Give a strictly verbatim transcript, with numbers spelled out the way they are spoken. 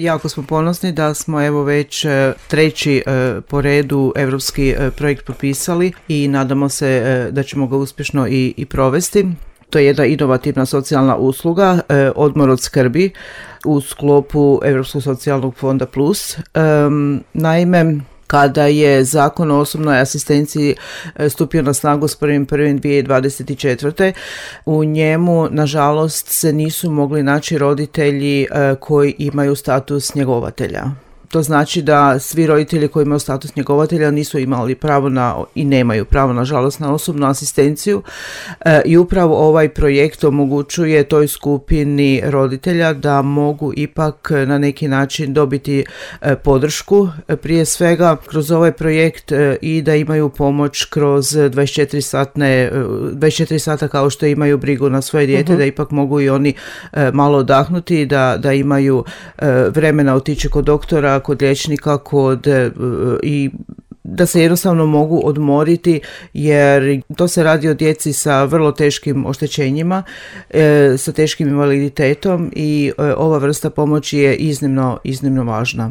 Jako smo ponosni da smo evo već treći po redu europski projekt potpisali i nadamo se da ćemo ga uspješno i, i provesti. To je jedna inovativna socijalna usluga, odmor od skrbi u sklopu Europskog socijalnog fonda plus. Naime, kada je Zakon o osobnoj asistenciji stupio na snagu s prvim prvim dvije tisuće dvadeset četvrte. u njemu, nažalost, se nisu mogli naći roditelji koji imaju status njegovatelja. To znači da svi roditelji koji imaju status njegovatelja nisu imali pravo na i nemaju pravo, nažalost, na osobnu asistenciju e, i upravo ovaj projekt omogućuje toj skupini roditelja da mogu ipak na neki način dobiti e, podršku, e, prije svega kroz ovaj projekt e, i da imaju pomoć kroz dvadeset četiri satne, dvadeset četiri sata kao što imaju brigu na svoje dijete, uh-huh. da ipak mogu i oni e, malo odahnuti, da, da imaju e, vremena otići kod doktora, kod liječnika, kod i da se jednostavno mogu odmoriti, jer to se radi o djeci sa vrlo teškim oštećenjima, e, sa teškim invaliditetom i e, ova vrsta pomoći je iznimno, iznimno važna.